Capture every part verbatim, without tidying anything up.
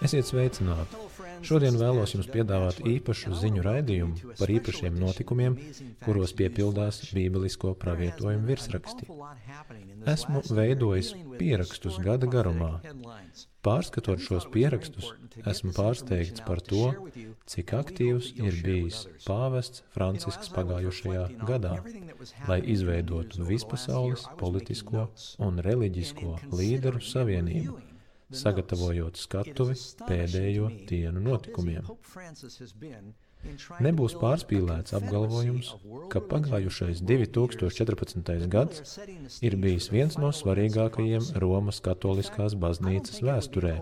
Esiet sveicināti! Šodien vēlos jums piedāvāt īpašu ziņu raidījumu par īpašiem notikumiem, kuros piepildās bībelisko pravietojumu virsraksti. Esmu veidojis pierakstus gada garumā. Pārskatot šos pierakstus, esmu pārsteigts par to, cik aktīvs ir bijis pāvests Francisks pagājušajā gadā, lai izveidotu vispasaules politisko un reliģisko līderu savienību, sagatavojot skatuvi pēdējo dienu notikumiem. Nebūs pārspīlēts apgalvojums, ka pagājušais divi tūkstoši četrpadsmitais gads ir bijis viens no svarīgākajiem Romas katoliskās baznīcas vēsturē.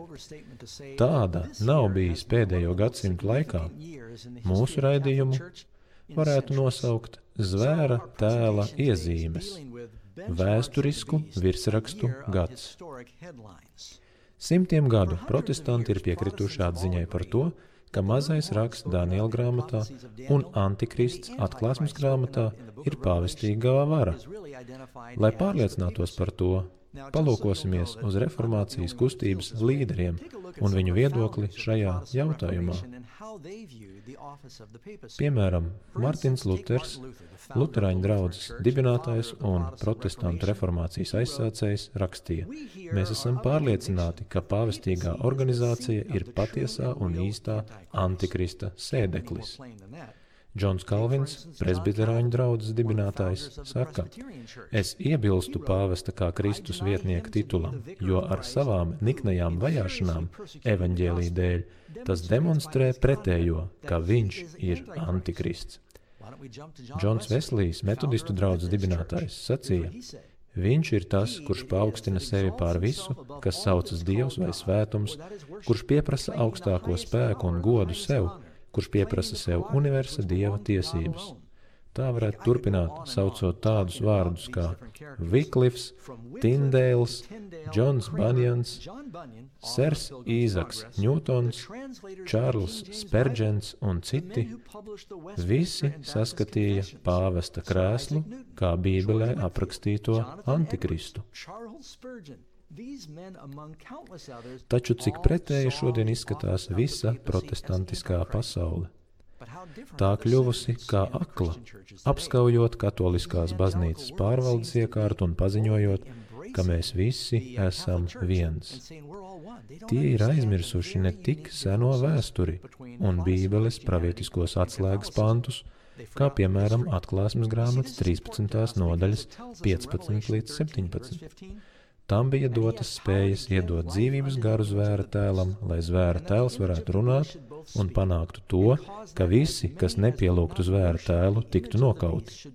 Tāda nav bijis pēdējo gadsimtu laikā. Mūsu raidījumu varētu nosaukt zvēra tēla iezīmes, vēsturisku virsrakstu gads. Simtiem gadu protestanti ir piekrituši atziņai par to, ka mazais raksts Daniela grāmatā un antikrists atklāsmes grāmatā ir pāvestīgā vara. Lai pārliecinātos par to, palūkosimies uz reformācijas kustības līderiem un viņu viedokli šajā jautājumā. Piemēram, Martins Luters, luterāņu draudzes dibinātājs un protestantu reformācijas aizsācējs, rakstīja: Mēs esam pārliecināti, ka pāvestīgā organizācija ir patiesā un īstā antikrista sēdeklis. Džons Kalvins, presbiterāņu draudzes dibinātājs, saka: Es iebilstu pāvesta kā Kristus vietnieka titulam, jo ar savām niknajām vajāšanām evaņģēlija dēļ tas demonstrē pretējo, ka viņš ir antikrists. Džons Veslijs, metodistu draudzes dibinātājs, sacīja: Viņš ir tas, kurš paaugstina sevi pār visu, kas saucas Dievs vai svētums, kurš pieprasa augstāko spēku un godu sev, kurš pieprasa sev universa Dieva tiesības. Tā varētu turpināt, saucot tādus vārdus kā Wyclifs, Tyndales, Džons Bunjans, Sers Īzaks Ņūtons, Čārls Sperdžens un citi. Visi saskatīja pāvesta krēslu kā Bībelē aprakstīto antikristu. Taču cik pretēji šodien izskatās visa protestantiskā pasaule. Tā kļuvusi kā akla, apskaujot katoliskās baznīcas pārvaldes iekārtu un paziņojot, ka mēs visi esam viens. Tie ir aizmirsuši ne tik seno vēsturi un Bībeles pravietiskos atslēgas pantus, kā piemēram atklāsmes grāmatas trīspadsmitās nodaļas piecpadsmit līdz septiņpadsmit. Tam bija dotas spējas iedot dzīvības garu zvēra tēlam, lai zvēra tēls varētu runāt un panāktu to, ka visi, kas nepielūgtu zvēra tēlu, tiktu nokauti.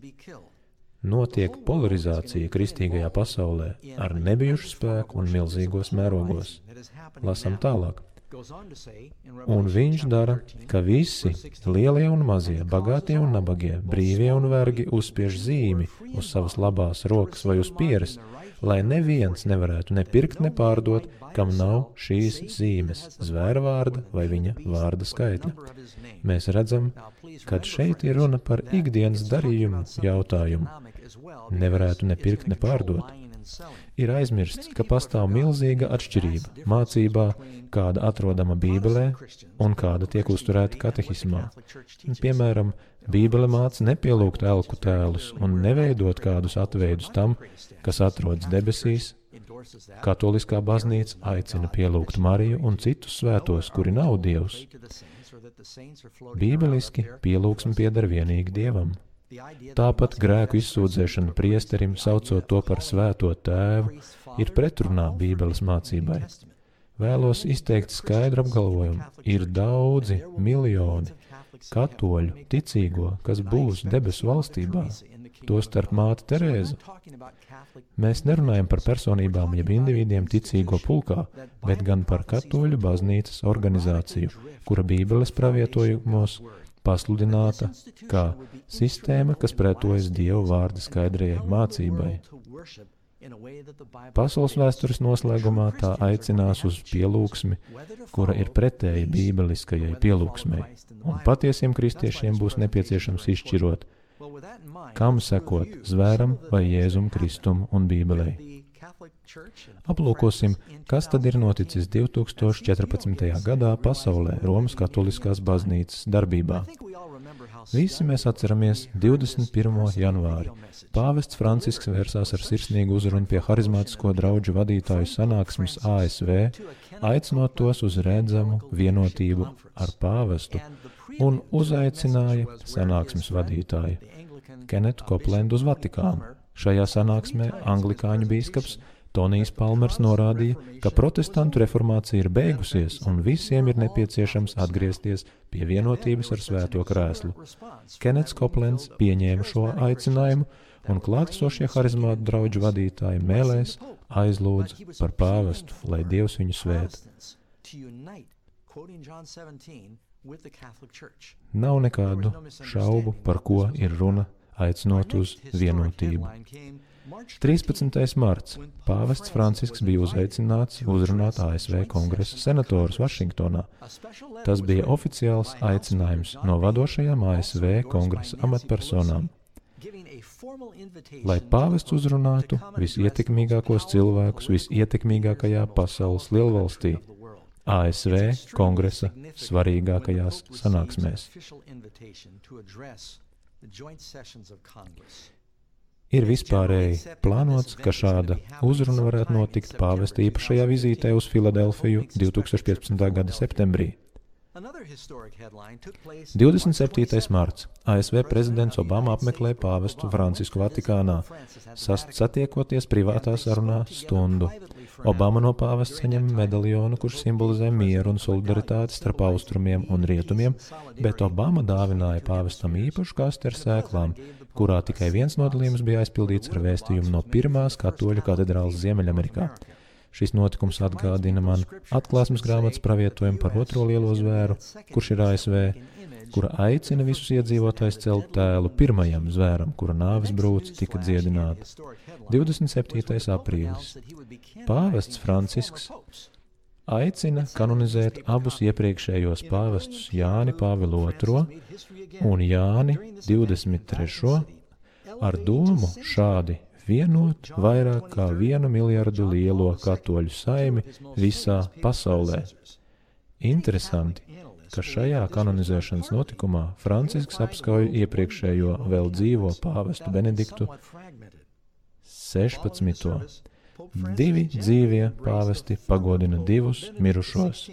Notiek polarizācija kristīgajā pasaulē ar nebijušu spēku un milzīgos mērogos. Lasam tālāk. Un viņš dara, ka visi, lielie un mazie, bagātie un nabagie, brīvie un vergi uzspiež zīmi uz savas labās rokas vai uz pieres, lai neviens nevarētu ne pirkt, ne pārdot, kam nav šīs zīmes, zvēra vārda vai viņa vārda skaitļa. Mēs redzam, ka šeit ir runa par ikdienas darījumu jautājumu. Nevarētu ne pirkt, ne pārdot. Ir aizmirsts, ka pastāv milzīga atšķirība mācībā, kāda atrodama Bībelē un kāda tiek uzturēta katehismā. Piemēram, Bībele māca nepielūgt elku tēlus un neveidot kādus atveidus tam, kas atrodas debesīs. Katoliskā baznīca aicina pielūgt Mariju un citus svētos, kuri nav Dievs. Bībeliski pielūgsme pieder vienīgi Dievam. Tāpat grēku izsūdzēšana priesterim, saucot to par svēto tēvu, ir pretrunā Bībeles mācībai. Vēlos izteikt skaidru apgalvojumu. Ir daudzi miljoni katoļu ticīgo, kas būs debesu valstībā, tostarp māte Terēza. Mēs nerunājam par personībām jeb individiem ticīgo pulkā, bet gan par katoļu baznīcas organizāciju, kura Bībeles pravietojumos pasludināta kā sistēma, kas pretojas Dieva vārda skaidrajai mācībai. Pasaules vēstures noslēgumā tā aicinās uz pielūgsmi, kura ir pretēja bībeliskajai pielūgsmei, un patiesiem kristiešiem būs nepieciešams izšķirot, kam sekot, zvēram vai Jēzum Kristum un Bībelei. Aplūkosim, kas tad ir noticis divtūkstoš četrpadsmitajā gadā pasaulē Romas katoliskās baznīcas darbībā. Visi mēs atceramies divdesmit pirmo janvāri. Pāvests Francisks vērsās ar sirsnīgu uzrunu pie harizmātisko draudžu vadītāju sanāksmes A S V, aicinot tos uz redzamu vienotību ar pāvestu un uzaicināja sanāksmes vadītāju Kenetu Koplendu uz Vatikānu. Šajā sanāksmē anglikāņu bīskaps Tonijs Palmers norādīja, ka protestantu reformācija ir beigusies un visiem ir nepieciešams atgriezties pie vienotības ar Svēto krēslu. Kenets Koplends pieņēma šo aicinājumu un klātesošie harizmātu draudžu vadītāji mēlēs aizlūdza par pāvestu, lai Dievs viņu svēta. Nav nekādu šaubu, par ko ir runa, aicinot uz vienotību. trīspadsmitais marts. Pāvests Francisks bija uzaicināts uzrunāt A S V kongresa senatorus Vašingtonā. Tas bija oficiāls aicinājums no vadošajām A S V kongresa amatpersonām, lai pāvests uzrunātu visietekmīgākos cilvēkus visietekmīgākajā pasaules lielvalstī, A S V kongresa svarīgākajās sanāksmēs. Ir vispārēji plānots, ka šāda uzruna varētu notikt pāvesta īpašajā vizītē uz Filadelfiju divtūkstoš piecpadsmitā gada septembrī. divdesmit septītais marts. A S V prezidents Obama apmeklē pāvestu Francisku Vatikānā, satiekoties privātā sarunā stundu. Obama no pāvesta saņem medaļonu, kurš simbolizē mieru un solidaritāti starp austrumiem un rietumiem, bet Obama dāvināja pāvestam īpašu kasti ar sēklām, kurā tikai viens nodalījums bija aizpildīts ar vēstījumu no pirmās katoļu katedrāles Ziemeļamerikā. Šis notikums atgādina man atklāsmes grāmatas pravietojumu par otro lielo zvēru, kurš ir A S V, kura aicina visus iedzīvotājus celt tēlu pirmajam zvēram, kura nāves brūce tika dziedināta. divdesmit septītais aprīlis. Pāvests Francisks aicina kanonizēt abus iepriekšējos pāvestus Jāni Pāvilu otro un Jāni divdesmit trešo ar domu šādi vienot vairāk kā vienu miljardu lielo katoļu saimi visā pasaulē. Interesanti, ka šajā kanonizēšanas notikumā Francisks apskauj iepriekšējo vēl dzīvo pāvestu Benediktu sešpadsmito. Divi dzīvie pāvesti pagodina divus mirušos.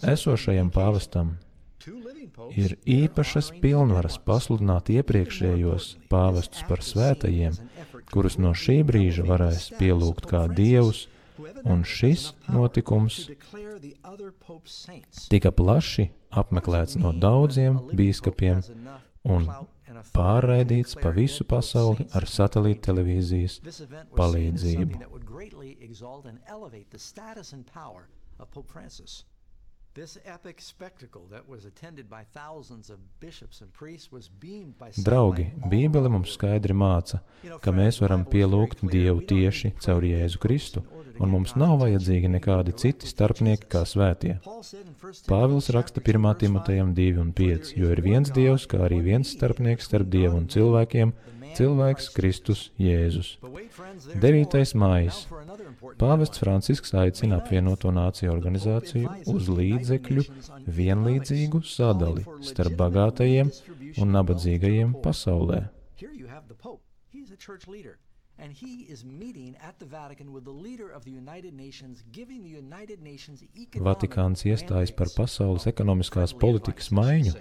Esošajam pāvestam ir īpašas pilnvaras pasludināt iepriekšējos pāvestus par svētajiem, kurus no šī brīža varēs pielūgt kā dievus, un šis notikums tika plaši apmeklēts no daudziem bīskapiem un pārraidīts pa visu pasauli ar satelīta televīzijas palīdzību. Draugi, Bībele mums skaidri māca, ka mēs varam pielūgt Dievu tieši caur Jēzu Kristu, un mums nav vajadzīgi nekādi citi starpnieki kā svētie. Pāvils raksta pirmā Timotejam divi un pieci, jo ir viens Dievs, kā arī viens starpnieks starp Dievu un cilvēkiem, cilvēks Kristus Jēzus. devītais maijs. Pāvests Francisks aicina apvienoto nāciju organizāciju uz līdzekļu vienlīdzīgu sadali starp bagātajiem un nabadzīgajiem pasaulē. Vatikāns iestājas par pasaules ekonomiskās politikas maiņu.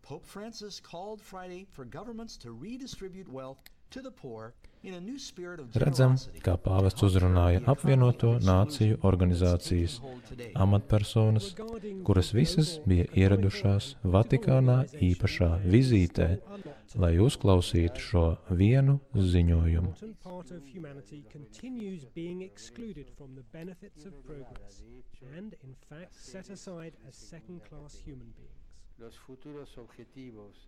Pope Francis called Friday for governments to redistribute wealth to the poor in a new spirit of Redzam, kā pāvests uzrunāja apvienoto nāciju organizācijas amatpersonas, kuras visas bija ieradušās Vatikānā īpašā vizītē, lai uzklausītu šo vienu ziņojumu. Los futuros objetivos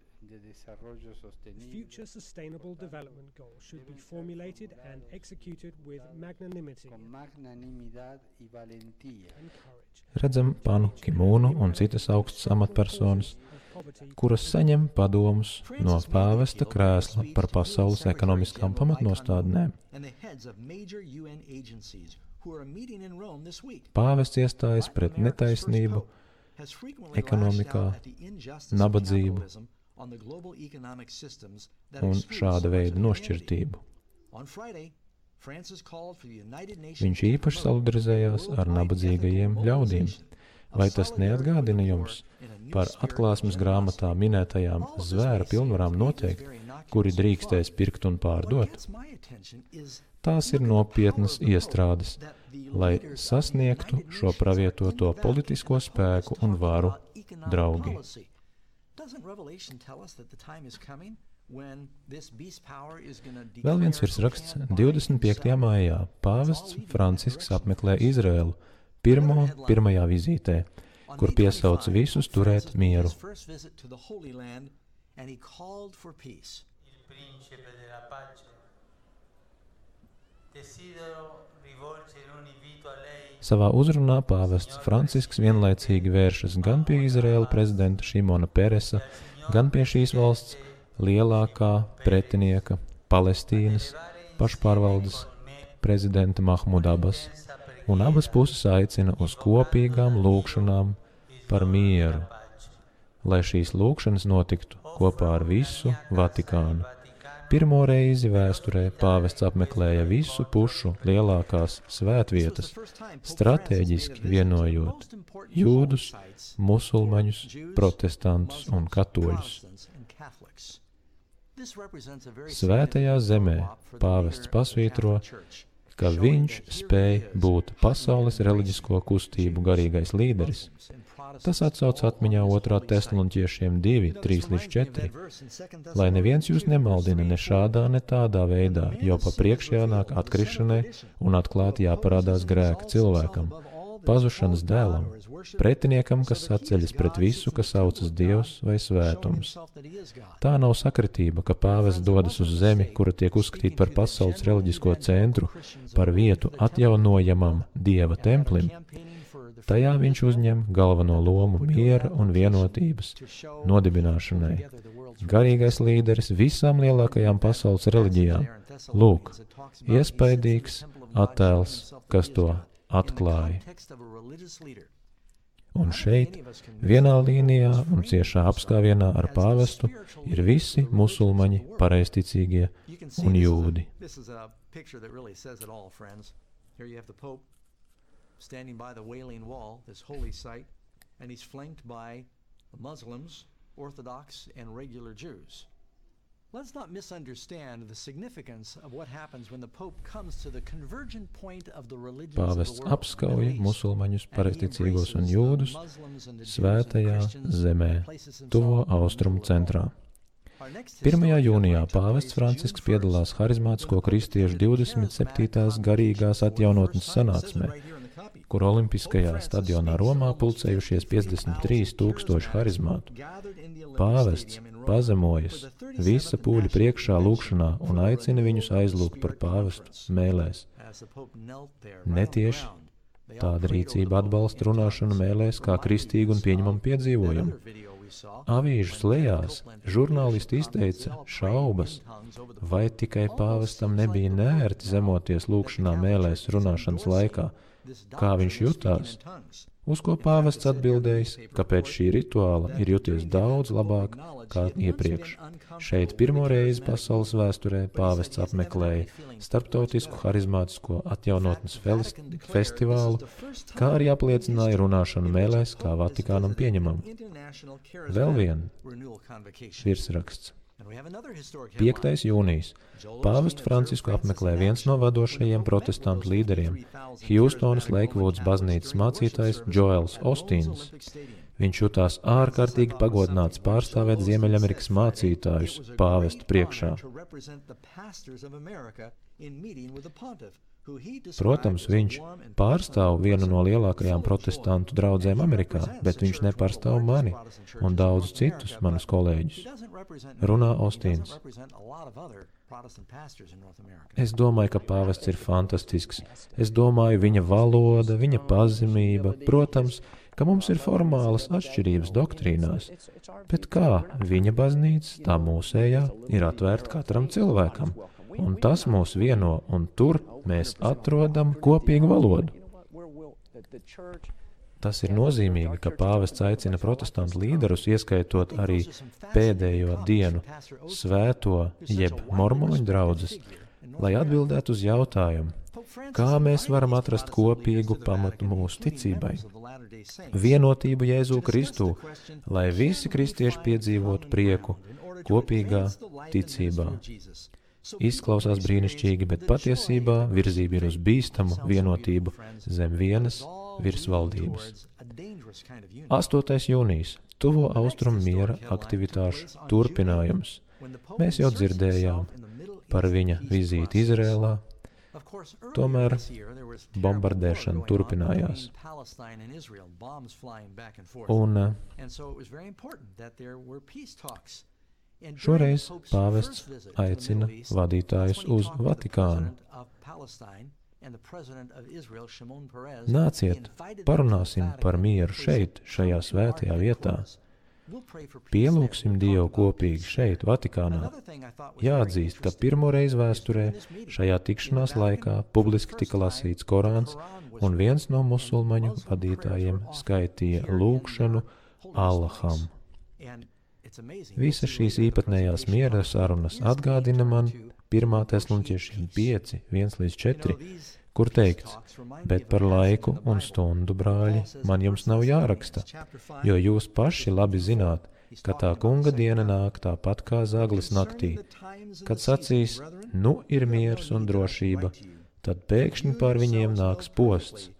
Future sustainable development goals should be formulated and executed with magnanimity and courage. Redzam Panu Kimūnu un citas augstas amatpersonas, kuras saņem padomus no pāvesta krēsla par pasaules ekonomiskām pamatnostādnēm. Pāvests iestājas pret netaisnību, ekonomikā, nabadzību un šāda veida nošķirtību. Viņš īpaši solidarizējās ar nabadzīgajiem ļaudīm. Vai tas neatgādina jums par atklāsmes grāmatā minētajām zvēra pilnvarām noteikt, kuri drīkstēs pirkt un pārdot? Tās ir nopietnas iestrādes, lai sasniegtu šo pravietoto politisko spēku un varu, draugi. Vēl viens virsraksts divdesmit piektajā maijā pāvests Francisks apmeklē Izraēlu pirmo pirmajā vizītē, kur piesauc visus turēt mieru. Savā uzrunā pāvests Francisks vienlaicīgi vēršas gan pie Izraēla prezidenta Šimona Peresa, gan pie šīs valsts lielākā pretinieka Palestīnas pašpārvaldes prezidenta Mahmuda Abbas, un abas puses aicina uz kopīgām lūgšanām par mieru, lai šīs lūgšanas notiktu kopā ar visu Vatikānu. Pirmo reizi vēsturē pāvests apmeklēja visu pušu lielākās svētvietas, stratēģiski vienojot jūdus, musulmaņus, protestantus un katoļus. Svētajā zemē pāvests pasvītro, ka viņš spēj būt pasaules reliģisko kustību garīgais līderis. Tas atsauc atmiņā otrā Tesaloniķiešiem divi, trīs līdz četri. Lai neviens jūs nemaldina ne šādā, ne tādā veidā, jo pa priekš jānāk atkrišanai un atklāti jāparādās grēka cilvēkam, pazušanas dēlam, pretiniekam, kas atceļas pret visu, kas saucas Dievs vai svētums. Tā nav sakritība, ka pāvests dodas uz zemi, kura tiek uzskatīta par pasaules reliģisko centru, par vietu atjaunojamam Dieva templim. Tajā viņš uzņem galveno lomu miera un vienotības nodibināšanai. Garīgais līderis visām lielākajām pasaules reliģijām. Lūk, iespaidīgs attēls, kas to atklāja. Un šeit, vienā līnijā un ciešā apskāvienā ar pāvestu, ir visi musulmaņi, pareizticīgie un jūdi. Standing by the Wailing Wall, this holy site, and he's flanked by Muslims, Orthodox, and regular Jews. Let's not misunderstand the significance of what happens when the Pope comes to the convergent point of the religions of the world. Pāvests apskauja musulmaņus, pareizticīgos un jūdus svētajā zemē, tuvo austrumu centrā. pirmajā jūnijā pāvests Francisks piedalās harizmātisko kristiešu divdesmit septītās garīgās atjaunotnes sanāksmē, kur Olimpiskajā stadionā Romā pulcējušies piecdesmit trīs tūkstoši harizmātu. Pāvests pazemojas visa pūļa priekšā lūgšanā un aicina viņus aizlūgt par pāvestu mēlēs. Netieši tāda rīcība atbalsta runāšanu mēlēs kā kristīgu un pieņemamu piedzīvojumu. Avīžu slejās žurnālisti izteica šaubas, vai tikai pāvestam nebija neērti zemoties lūgšanā mēlēs runāšanas laikā, kā viņš jutās, uz ko pāvests atbildējis, ka pēc šī rituāla ir juties daudz labāk kā iepriekš. Šeit pirmo reizi pasaules vēsturē pāvests apmeklēja starptautisku harizmātisko atjaunotnes festivālu, kā arī apliecināja runāšanu mēlēs kā Vatikānam pieņemamu. Vēl vien virsraksts. piektais jūnijas. Pāvestu Francisku apmeklē viens no vadošajiem protestantu līderiem, Hjustonas Leikvūdas baznīcas mācītājs Džoels Ostīns. Viņš jutās ārkārtīgi pagodināts pārstāvēt Ziemeļamerikas mācītājus pāvestu priekšā. Protams, viņš pārstāv vienu no lielākajām protestantu draudzēm Amerikā, bet viņš nepārstāv mani un daudzus citus manus kolēģus. Runā Ostīns. Es domāju, ka pāvests ir fantastisks. Es domāju, viņa valoda, viņa pazemība, protams, ka mums ir formālas atšķirības doktrīnās, bet kā viņa baznīca, tā mūsējā, ir atvērta katram cilvēkam. Un tas mūs vieno, un tur mēs atrodam kopīgu valodu. Tas ir nozīmīgi, ka pāvests aicina protestantu līderus, ieskaitot arī pēdējo dienu svēto jeb mormoņu draudzes, lai atbildētu uz jautājumu, kā mēs varam atrast kopīgu pamatu mūsu ticībai, vienotību Jēzu Kristu, lai visi kristieši piedzīvotu prieku kopīgā ticībā. Izklausās brīnišķīgi, bet patiesībā virzība ir uz bīstamu vienotību zem vienas virsvaldības. astotais jūnijas – Tuvo austrumu miera aktivitāšu turpinājums. Mēs jau dzirdējām par viņa vizīti Izrēlā, tomēr bombardēšana turpinājās. Un šoreiz pāvests aicina vadītājus uz Vatikānu. Nāciet, parunāsim par mieru šeit, šajā svētajā vietā. Pielūgsim Dievu kopīgi šeit, Vatikānā. Jāatzīst, ka pirmo reizi vēsturē šajā tikšanās laikā publiski tika lasīts Korāns, un viens no musulmaņu vadītājiem skaitīja lūgšanu Allaham. Visas šīs īpatnējās miera sarunas atgādina man pirmā Tesaloniķiešiem pieci, viens līdz četri, kur teikts, bet par laiku un stundu, brāļi, man jums nav jāraksta, jo jūs paši labi zināt, ka tā kunga diena nāk tāpat kā zaglis naktī, kad sacīs, nu ir miers un drošība, tad pēkšņi pār viņiem nāks posts,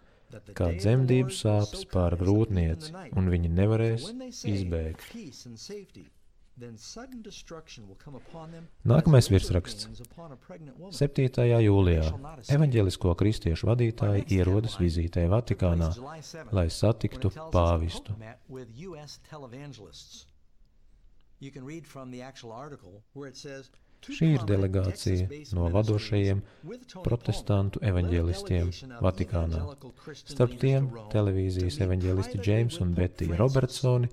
kā dzemdību sāpes pār grūtnieci, un viņi nevarēs izbēgt. Nākamais virsraksts. septītajā jūlijā evaņģelisko kristiešu vadītāji ierodas vizītē Vatikānā, lai satiktu pāvistu. Šī ir delegācija no vadošajiem protestantu evaņģelistiem Vatikānā. Starp tiem televīzijas evaņģelisti Džeims un Betija Robertsoni,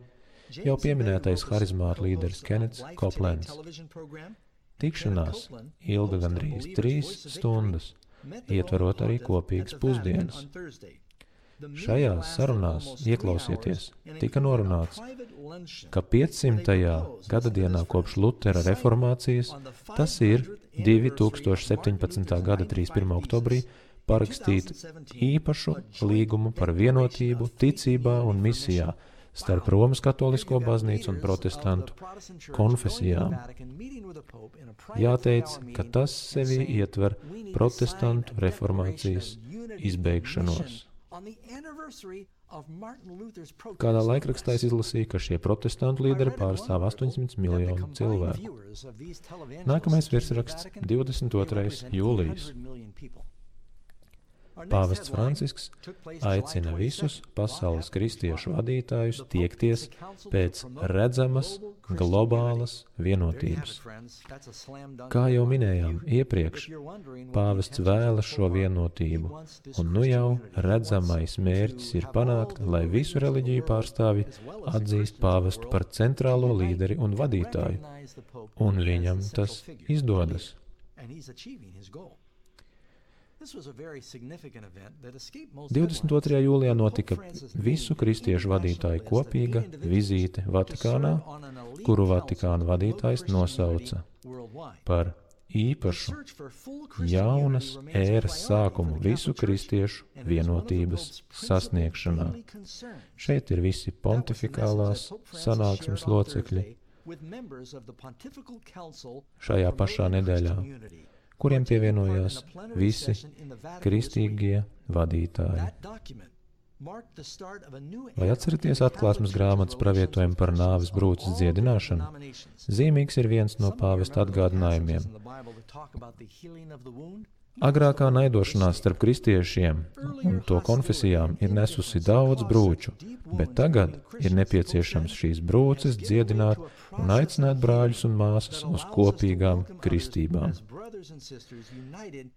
jau pieminētais harizmātu līderis Kennets Copelands. Tikšanās ilga gandrīz trīs stundas, ietverot arī kopīgas pusdienas. Šajās sarunās, ieklausieties, tika norunāts, ka piecsimtajā gadadienā kopš Lutera reformācijas, tas ir divi tūkstoši septiņpadsmitā gada trīsdesmit pirmā oktobrī, parakstīt īpašu līgumu par vienotību, ticībā un misijā starp Romas katolisko baznīcu un protestantu konfesijām. Jāteic, ka tas sevī ietver protestantu reformācijas izbeigšanos. Kādā laikrakstā es izlasīju, ka šie protestantu līderi pārstāv astoņsimt miljonu cilvēku. Nākamais virsraksts – divdesmit otrais jūlijas. Pāvests Francisks aicina visus pasaules kristiešu vadītājus tiekties pēc redzamas globālas vienotības. Kā jau minējām iepriekš, pāvests vēlas šo vienotību, un nu jau redzamais mērķis ir panākt, lai visu reliģiju pārstāvji atzīst pāvestu par centrālo līderi un vadītāju, un viņam tas izdodas. divdesmit otrajā jūlijā notika visu kristiešu vadītāju kopīga vizīte Vatikānā, kuru Vatikāna vadītājs nosauca par īpašu jaunas ēras sākumu visu kristiešu vienotības sasniegšanā. Šeit ir visi pontifikālās sanāksmes locekļi šajā pašā nedēļā, kuriem pievienojās visi kristīgie vadītāji. Vai atceraties atklāsmes grāmatas pravietojumu par nāves brūces dziedināšanu? Zīmīgs ir viens no pāvesta atgādinājumiem. Agrākā naidošanās starp kristiešiem un to konfesijām ir nesusi daudz brūču, bet tagad ir nepieciešams šīs brūces dziedināt un aicināt brāļus un māsas uz kopīgām kristībām.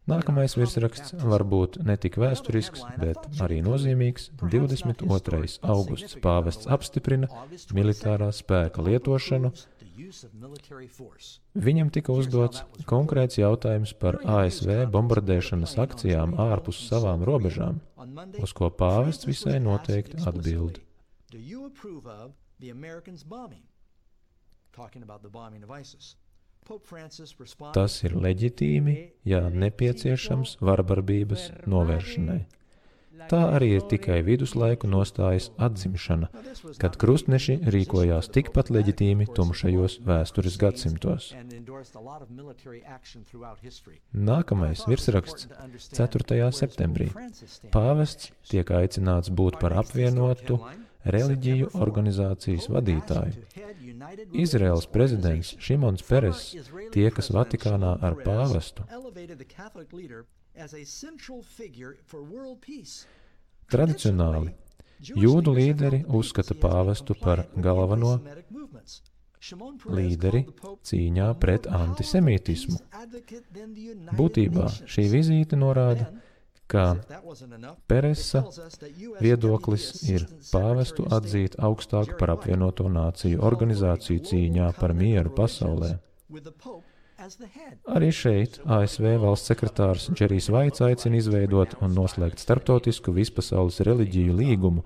Nākamais virsraksts var būt ne tik vēsturisks, bet arī nozīmīgs. divdesmit otrais augusts pāvests apstiprina militārā spēka lietošanu. Viņam tika uzdots konkrēts jautājums par A S V bombardēšanas akcijām ārpus savām robežām, uz ko pāvests visai noteikti atbild. Tas ir leģitīmi, ja nepieciešams varbarbības novēršanai. Tā arī ir tikai viduslaiku nostājas atzimšana, kad krustneši rīkojās tikpat leģitīmi tumšajos vēstures gadsimtos. Nākamais virsraksts ceturtajā septembrī. Pāvests tiek aicināts būt par apvienotu reliģiju organizācijas vadītāju. Izraels prezidents Šimons Peres tiekas Vatikānā ar pāvestu. Tradicionāli jūdu līderi uzskata pāvestu par galveno līderi cīņā pret antisemītismu. Būtībā šī vizīte norāda, ka Peresa viedoklis ir pāvestu atzīt augstāk par apvienoto nāciju organizāciju cīņā par mieru pasaulē. Arī šeit A S V valsts sekretārs Džerijs Vaits aicina izveidot un noslēgt starptautisku vispasaules reliģiju līgumu,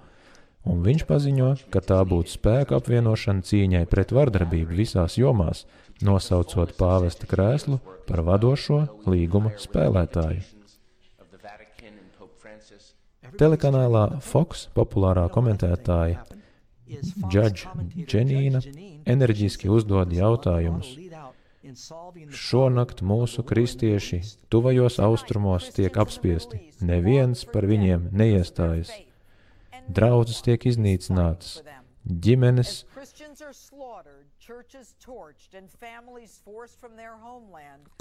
un viņš paziņo, ka tā būtu spēka apvienošana cīņai pret vardarbību visās jomās, nosaucot pāvesta krēslu par vadošo līguma spēlētāju. Telekanālā Fox populārā komentētāja Judge Dženīna enerģiski uzdod jautājumus. Šonakt mūsu kristieši tuvajos austrumos tiek apspiesti, neviens par viņiem neiestājas. Draudzes tiek iznīcinātas, ģimenes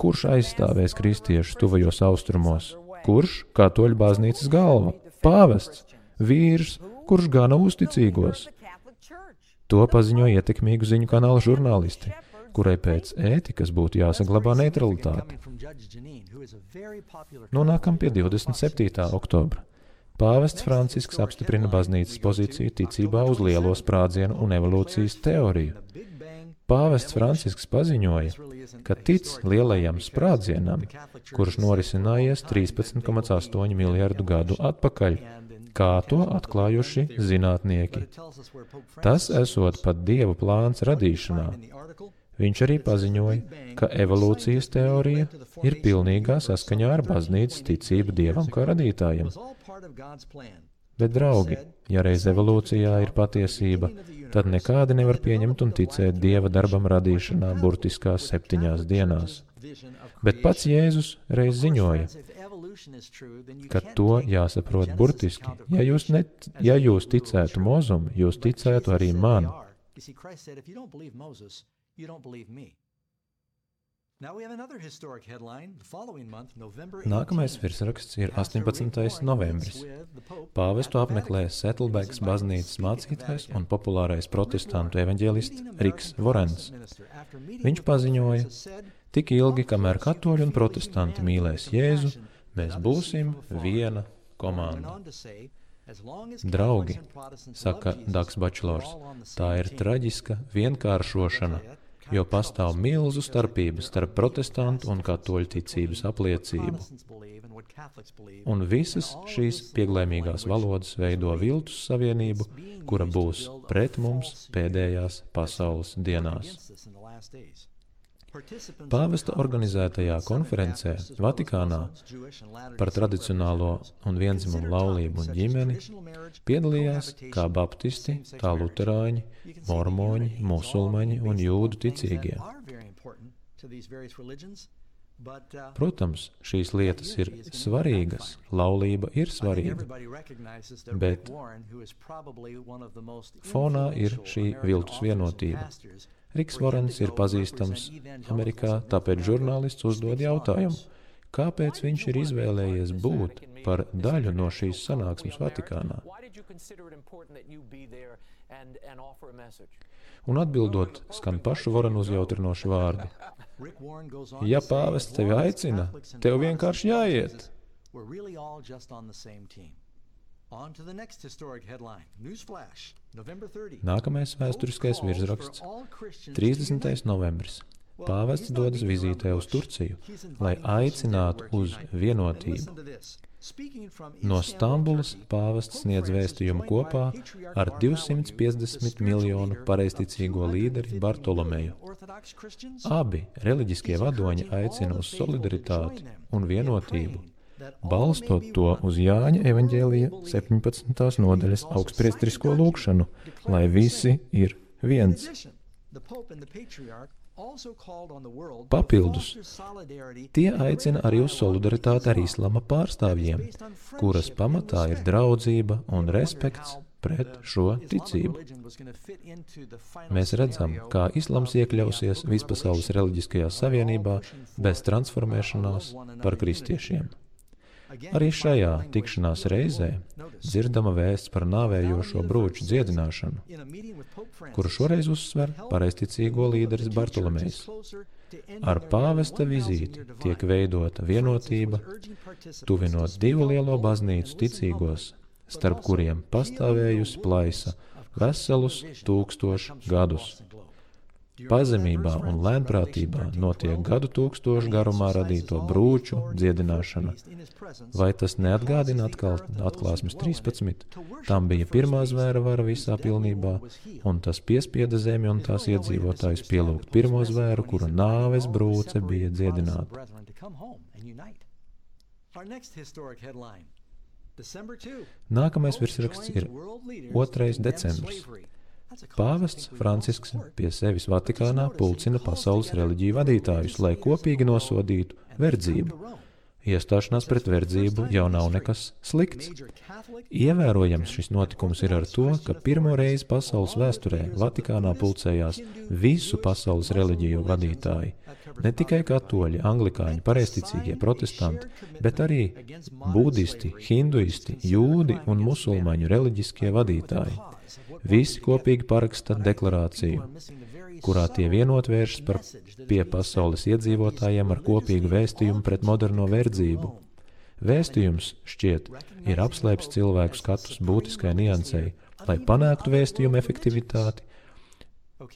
Kurš aizstāvēs kristiešus tuvajos austrumos? Kurš katoļu baznīcas galva? Pāvests, vīrs, kurš gana uzticīgos. To paziņo ietekmīgu ziņu kanāla žurnālisti, kurai pēc ētikas būtu jāsaglabā neutralitāte. Nonākam pie divdesmit septītā oktobra. Pāvests Francisks apstiprina baznīcas pozīciju ticībā uz lielo sprādzienu un evolūcijas teoriju. Pāvests Francisks paziņoja, ka tic lielajam sprādzienam, kurš norisinājies trīspadsmit komats astoņi miljardu gadu atpakaļ, kā to atklājuši zinātnieki. Tas esot pat Dieva plāns radīšanā. Viņš arī paziņoja, ka evolūcijas teorija ir pilnīgā saskaņā ar baznīcas ticību Dievam kā radītājam. Bet, draugi, ja reiz evolūcijā ir patiesība, tad nekādi nevar pieņemt un ticēt Dieva darbam radīšanā burtiskās septiņās dienās. Bet pats Jēzus reiz ziņoja, ka to jāsaprot burtiski. Ja jūs, net, ja jūs ticētu Mozum, jūs ticētu arī man. Nākamais virsraksts ir astoņpadsmitais novembris. Pāvestu apmeklē Saddlebags baznīcas mācītājs un populārais protestantu evaņģēlists Riks Vorens. Viņš paziņoja, tik ilgi, kamēr katoļi un protestanti mīlēs Jēzu, mēs būsim viena komanda. Draugi, saka Dags Bačlors, tā ir traģiska vienkāršošana, jo pastāv milzu starpības starp protestantu un katoļu ticības apliecību. Un visas šīs pieglēmīgās valodas veido viltus savienību, kura būs pret mums pēdējās pasaules dienās. Pāvesta organizētajā konferencē Vatikānā par tradicionālo un viendzimumu laulību un ģimeni piedalījās kā baptisti, tā luterāņi, mormoņi, musulmaņi un jūdu ticīgie. Protams, šīs lietas ir svarīgas, laulība ir svarīga, bet fonā ir šī viltus vienotība. Riks Vorens ir pazīstams Amerikā, tāpēc žurnālists uzdod jautājumu, Kāpēc viņš ir izvēlējies būt par daļu no šīs sanāksmes Vatikānā? Un atbildot, skan pašu Vorenu uzjautrinoši vārdi. Ja pāvests tevi aicina, tev vienkārši jāiet. Nākamais vēsturiskais virsraksts – trīsdesmitais novembris. Pāvests dodas vizītē uz Turciju, lai aicinātu uz vienotību. No Stambulas pāvests sniedz vēstījumu kopā ar divsimt piecdesmit miljonu pareizticīgo līderi Bartolomeju. Abi reliģiskie vadoņi aicina uz solidaritāti un vienotību, balstot to uz Jāņa evaņģēlija septiņpadsmitās nodaļas augstpriestrisko lūgšanu, lai visi ir viens. Papildus, tie aicina arī uz solidaritāti ar islama pārstāvjiem, kuras pamatā ir draudzība un respekts pret šo ticību. Mēs redzam, kā islams iekļausies vispasaules reliģiskajā savienībā bez transformēšanās par kristiešiem. Arī šajā tikšanās reizē dzirdama vēsts par nāvējošo brūču dziedināšanu, kuru šoreiz uzsver pareizticīgo līderis Bartolomejs. Ar pāvesta vizīti tiek veidota vienotība, tuvinot divu lielo baznīcu ticīgos, starp kuriem pastāvējusi plaisa veselus tūkstošu gadus. Pazemībā un lēnprātībā notiek gadu tūkstošu garumā radīto brūču dziedināšana. Vai tas neatgādina atkal atklāsmes trīspadsmit? Tam bija pirmā zvēra vara visā pilnībā, un tas piespieda zemi un tās iedzīvotājus pielūgt pirmo zvēru, kura nāves brūce bija dziedināta. Nākamais virsraksts ir otrais decembris. Pāvests Francisks pie sevis Vatikānā pulcina pasaules reliģiju vadītājus, lai kopīgi nosodītu verdzību. Iestāšanās pret verdzību jau nav nekas slikts. Ievērojams šis notikums ir ar to, ka pirmo reizi pasaules vēsturē Vatikānā pulcējās visu pasaules reliģiju vadītāji. Ne tikai katoļi, anglikāņi, pareizticīgie, protestanti, bet arī budisti, hinduisti, jūdi un musulmaņu reliģiskie vadītāji. Visi kopīgi paraksta deklarāciju, kurā tie vienot vēršas par pie pasaules iedzīvotājiem ar kopīgu vēstījumu pret moderno verdzību. Vēstījums, šķiet, ir apslēpts cilvēku skatus būtiskai niansei, lai panāktu vēstījumu efektivitāti,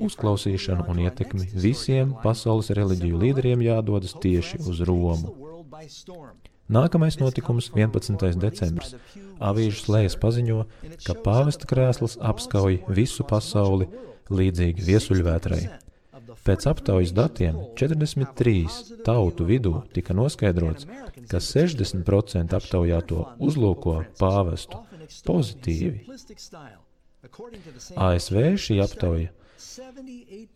uzklausīšanu un ietekmi. Visiem pasaules reliģiju līderiem jādodas tieši uz Romu. Nākamais notikums – vienpadsmitais decembris. Avīžu slējas paziņo, ka pāvesta krēsls apskauj visu pasauli līdzīgi viesuļvētrai. Pēc aptaujas datiem četrdesmit trīs tautu vidū tika noskaidrots, ka sešdesmit procenti aptaujāto uzlūko pāvestu pozitīvi. A S V šī aptauja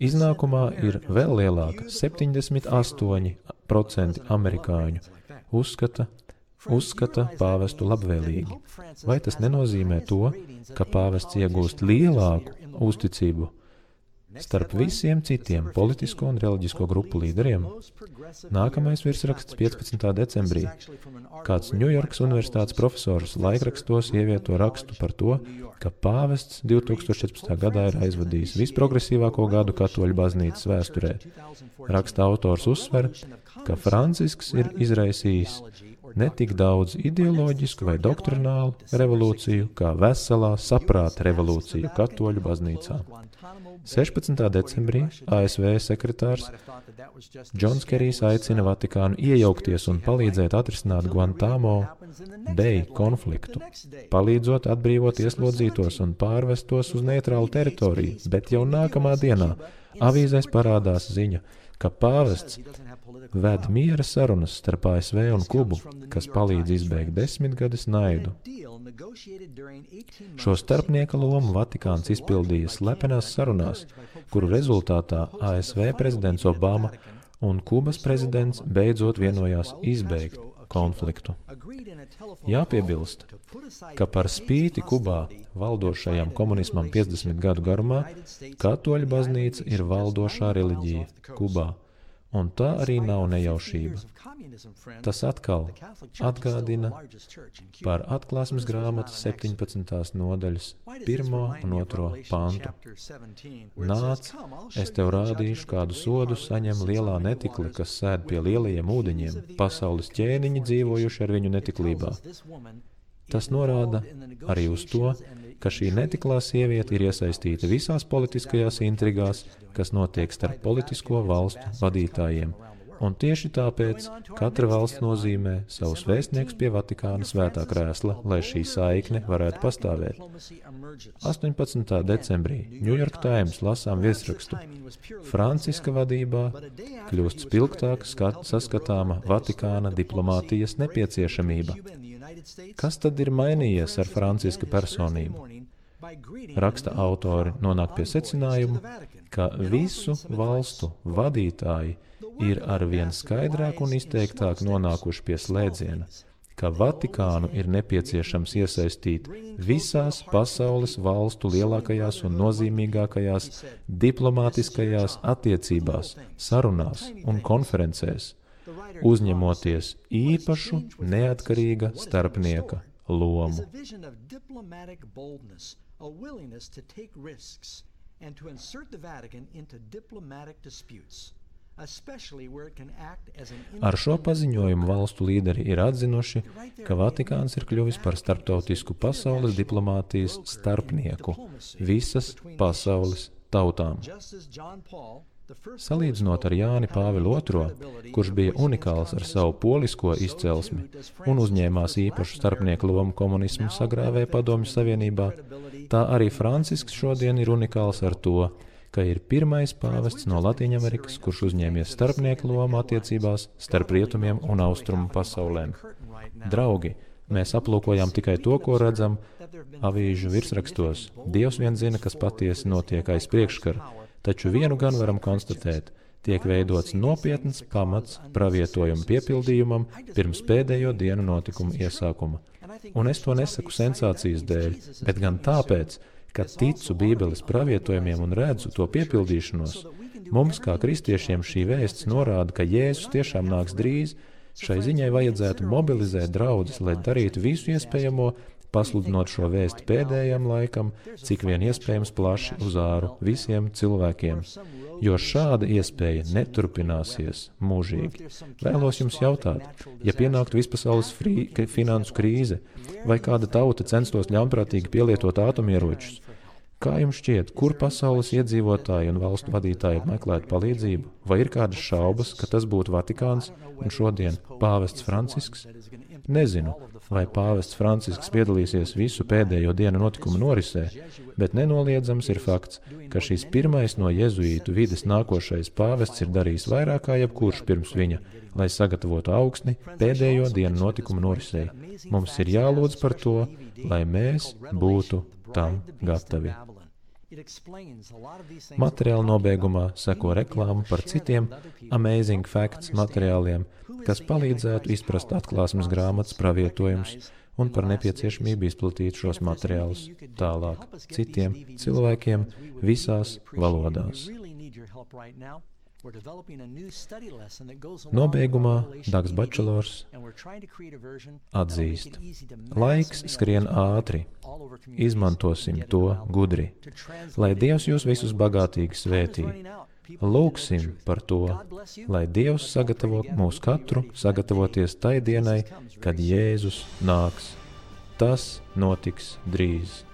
iznākumā ir vēl lielāka – septiņdesmit astoņi procenti amerikāņu uzskata, uzskata pāvestu labvēlīgi. Vai tas nenozīmē to, ka pāvests iegūst lielāku uzticību starp visiem citiem politisko un reliģisko grupu līderiem? Nākamais virsraksts piecpadsmitā decembrī. Kāds Ņujorkas universitātes profesors laikrakstos ievieto rakstu par to, ka pāvests divtūkstoš četrpadsmitajā gadā ir aizvadījis visprogresīvāko gadu katoļu baznīcas vēsturē. Raksta autors uzsver, ka Francisks ir izraisījis ne tik daudz ideoloģisku vai doktrinālu revolūciju, kā veselā saprāta revolūciju katoļu baznīcā. sešpadsmitā decembrī A S V sekretārs Džons Kerijs aicina Vatikānu iejaukties un palīdzēt atrisināt Guantánamo Bay konfliktu, palīdzot atbrīvot ieslodzītos un pārvestos uz neitrālu teritoriju, bet jau nākamā dienā avīzēs parādās ziņa, ka pāvests ved miera sarunas starp A S V un Kubu, kas palīdz izbeigt desmitgades naidu. Šo starpnieka lomu Vatikāns izpildīja slepenās sarunās, kuru rezultātā A S V prezidents Obama un Kubas prezidents beidzot vienojās izbeigt konfliktu. Jāpiebilst, ka par spīti Kubā valdošajam komunismam piecdesmit gadu garumā, katoļu baznīca ir valdošā reliģija Kubā, Un tā arī nav nejaušība. Tas atkal atgādina par atklāsmes grāmatas septiņpadsmitās nodaļas pirmo un otro pantu. Nāc, es tev rādīšu, kādu sodu saņem lielā netikle, kas sēd pie lielajiem ūdeņiem, pasaules ķēniņi dzīvojuši ar viņu netiklībā. Tas norāda arī uz to, ka šī netiklā sieviete ir iesaistīta visās politiskajās intrigās, kas notiek starp politisko valstu vadītājiem. Un tieši tāpēc katra valsts nozīmē savus vēstniekus pie Vatikāna svētā krēsla, lai šī saikne varētu pastāvēt. astoņpadsmitā decembrī New York Times lasām virsrakstu: Franciska vadībā kļūst spilgtāk skat, saskatāma Vatikāna diplomātijas nepieciešamība. Kas tad ir mainījies ar Franciska personību? Raksta autori nonāk pie secinājuma, ka visu valstu vadītāji ir arvien skaidrāk un izteiktāk nonākuši pie slēdziena, ka Vatikānu ir nepieciešams iesaistīt visās pasaules valstu lielākajās un nozīmīgākajās diplomātiskajās attiecībās, sarunās un konferencēs, uzņemoties īpašu neatkarīga starpnieka lomu. Ar šo paziņojumu valstu līderi ir atzinuši, ka Vatikāns ir kļuvis par starptautisku pasaules diplomātijas starpnieku visas pasaules tautām. Salīdzinot ar Jāni Pāvilu otro, kurš bija unikāls ar savu polisko izcelsmi un uzņēmās īpašu starpnieku lomu komunismu sagrāvē Padomju Savienībā, tā arī Francisks šodien ir unikāls ar to, ka ir pirmais pāvests no Latīņamerikas, kurš uzņēmies starpnieku lomu attiecībās starp rietumiem un austrumu pasaulēm. Draugi, mēs aplūkojām tikai to, ko redzam avīžu virsrakstos. Dievs vien zina, kas patiesi notiek aiz priekškara, taču vienu gan varam konstatēt, tiek veidots nopietns pamats pravietojumu piepildījumam pirms pēdējo dienu notikumu iesākuma. Un es to nesaku sensācijas dēļ, bet gan tāpēc, ka ticu Bībeles pravietojumiem un redzu to piepildīšanos. Mums, kā kristiešiem, šī vēsts norāda, ka Jēzus tiešām nāks drīz. Šai ziņai vajadzētu mobilizēt draudzes, lai darītu visu iespējamo, pasludinot šo vēstu pēdējam laikam, cik vien iespējams plaši uz āru visiem cilvēkiem, jo šāda iespēja neturpināsies mūžīgi. Vēlos jums jautāt, ja pienāktu vispasaules frī, finansu krīze, vai kāda tauta censtos ļaunprātīgi pielietot atomieročus, kā jums šķiet, kur pasaules iedzīvotāji un valstu vadītāji meklētu palīdzību? Vai ir kādas šaubas, ka tas būtu Vatikāns un šodien pāvests Francisks? Nezinu, vai pāvests Francisks piedalīsies visu pēdējo dienu notikumu norisē, bet nenoliedzams ir fakts, ka šis pirmais no jezuītu vides nākošais pāvests ir darījis vairāk kā jebkurš pirms viņa, lai sagatavotu augsni pēdējo dienu notikumu norisē. Mums ir jālūdz par to, lai mēs būtu tam gatavi. Materiāla nobeigumā seko reklāma par citiem Amazing Facts materiāliem, kas palīdzētu izprast atklāsmes grāmatas pravietojumus un par nepieciešamību izplatīt šos materiālus tālāk citiem cilvēkiem visās valodās. Nobeigumā Dags Bačelors atzīst: laiks skrien ātri, izmantosim to gudri, lai Dievs jūs visus bagātīgi svētī. Lūgsim par to, lai Dievs sagatavo mūs katru sagatavoties tai dienai, kad Jēzus nāks. Tas notiks drīz.